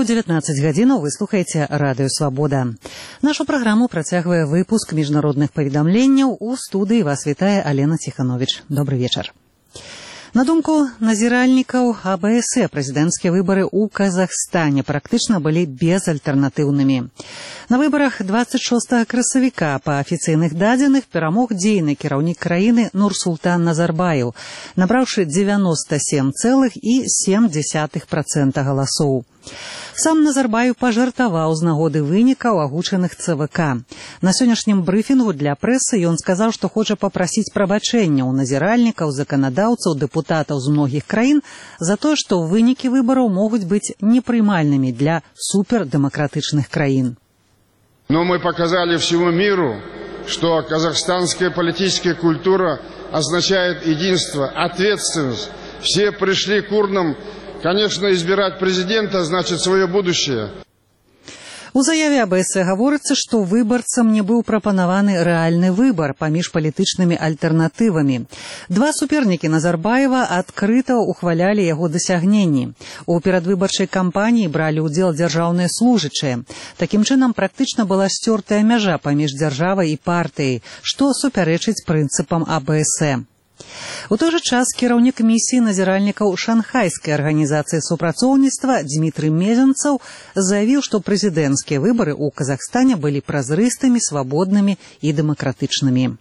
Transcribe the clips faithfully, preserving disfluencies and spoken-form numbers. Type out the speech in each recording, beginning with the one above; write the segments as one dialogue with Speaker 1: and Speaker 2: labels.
Speaker 1: ранку дзевятнаццаць гадзінаў вы слухаеце радыё «Свабода». Нашу праграму працягвае выпуск міжнародных паведамленняў. У студыі вас вітае Алена Ціхановіч. Добры вечар. На думку назіральнікаў А Бэ Эс Э, прэзідэнцкія выбары ў Казахстане практычна былі безальтэрнатыўнымі. На выбарах дваццаць шостага красавіка па афіцыйных дадзеных перамог дзейны кіраўнік краіны Нурсултан Назарбаев, набраўшы дзевяноста сем цэлых сем дзесятых працэнта галасоў. Сам Назарбаев пажартаваў з нагоды вынікаў, агучаных Цэ Вэ Ка. На сённяшнім брыфінгу для прэсы ён сказаў, што хоча папрасіць прабачэння ў назіральнікаў, заканадаўцаў, дэпутатаў з многіх краін за тое, што вынікі выбараў могуць быць непрымальнымі для супердэмакратычных краін.
Speaker 2: Но мы показали всему миру, что казахстанская политическая культура означает единство, ответственность. Все пришли к урнам. Конечно, избирать президента значит свое будущее.
Speaker 1: У заяве А Бэ Эс Э гаворыцца, што выбарцам не быў прапанаваны рэальны выбар паміж палітычнымі альтэрнатывамі. Два супернікі Назарбаева адкрыта ухвалялі яго дасягненні. У перадвыбарчай кампаніі бралі ўдзел дзяржаўныя служачыя. Такім чынам, практычна была сцёртая мяжа паміж дзяржавай і партыяй, што супярэчыць прынцыпам А Бэ Эс Э. У той жа час кіраўнік місіі назіральнікаў шанхайскай арганізацыі супрацоўніцтва Дзмітрый Мезенцаў заявіў, што прэзідэнцкія выбары ў Казахстане былі празрыстымі, свабоднымі і дэмакратычнымі.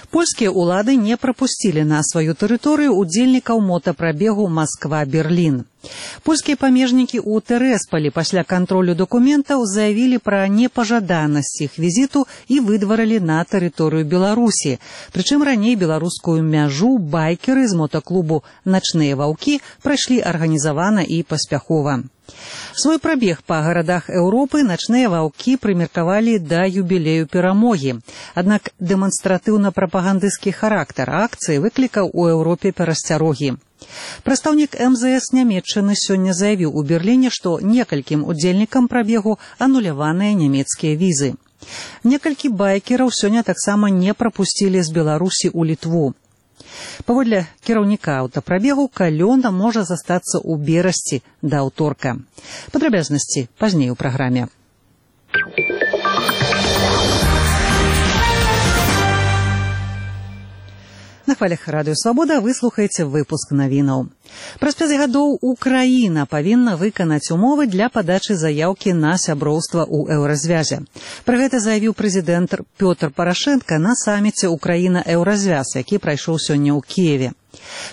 Speaker 1: Польскія ўлады не прапусцілі на сваю тэрыторыю удзельнікаў мотапрабегу Масква-Берлін. Польскія памежнікі ў Тэрэсполі пасля кантролю дакументаў заявілі пра непажаданасць іх візіту і выдварылі на тэрыторыю Беларусі. Прычым раней беларускую мяжу байкеры з мотаклубу «Начныя ваўкі» прайшлі арганізавана і паспяхова. Свой прабег па гарадах Еўропы «Начныя ваўкі» прымеркавалі да юбілею перамогі. Аднак дэманстратыўна-прапагандысцкі характар акцыі выклікаў у Еўропе перасцярогі. Прадстаўнік Эм Зэ Эс Нямецчыны сёння заявіў у Берліне, што некалькім удзельнікам прабегу ануляваныя нямецкія візы. Некалькі байкераў сёння таксама не прапусцілі з Беларусі ў Літву. Паводле кіраўніка аўтапрабегу, калёна можа застацца ў Берасці да аўторка. Падрабязнасці пазней у праграме. На хвалях радыё «Свабода» вы слухаеце выпуск навінаў. Праз пяць гадоў Украіна павінна выканаць умовы для падачы заяўкі на сяброўства ў еўразвязе. Пра гэта заявіў прэзідэнт Пётр Парашэнка на саміце «Украіна-еўразвяз», які прайшоў сёння ў Кіеве.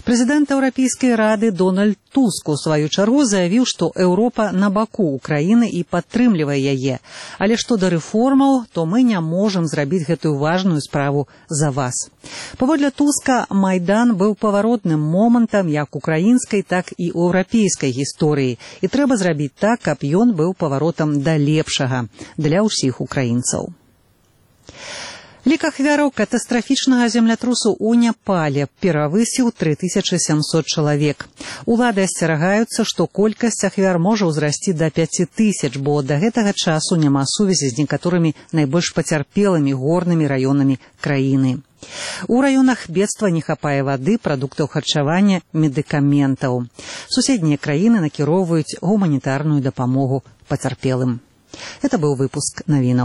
Speaker 1: Прэзідэнт Еўрапейскай рады Дональд Туск у сваю чаргу заявіў, што Еўропа на баку Украіны і падтрымлівае яе. Але што да рэформаў, то мы не можам зрабіць гэтую важную справу за вас. Паводле Туска, Майдан быў паваротным момантам як украінскай, так і еўрапейскай гісторыі. І трэба зрабіць так, каб ён быў паваротам да лепшага для ўсіх украінцаў. Лік ахвяраў катастрафічнага землятрусу ў Непале перавысіў тры тысячы сямсот чалавек. Улады асцерагаюцца, што колькасць ахвяр можа ўзрасці да пяці тысяч, бо да гэтага часу няма сувязі з некаторымі найбольш пацярпелымі горнымі раёнамі краіны. У раёнах бедства не хапае вады, прадуктаў харчавання, медыкаментаў. Суседнія краіны накіроўваюць гуманітарную дапамогу пацярпелым. Это быў выпуск навінаў.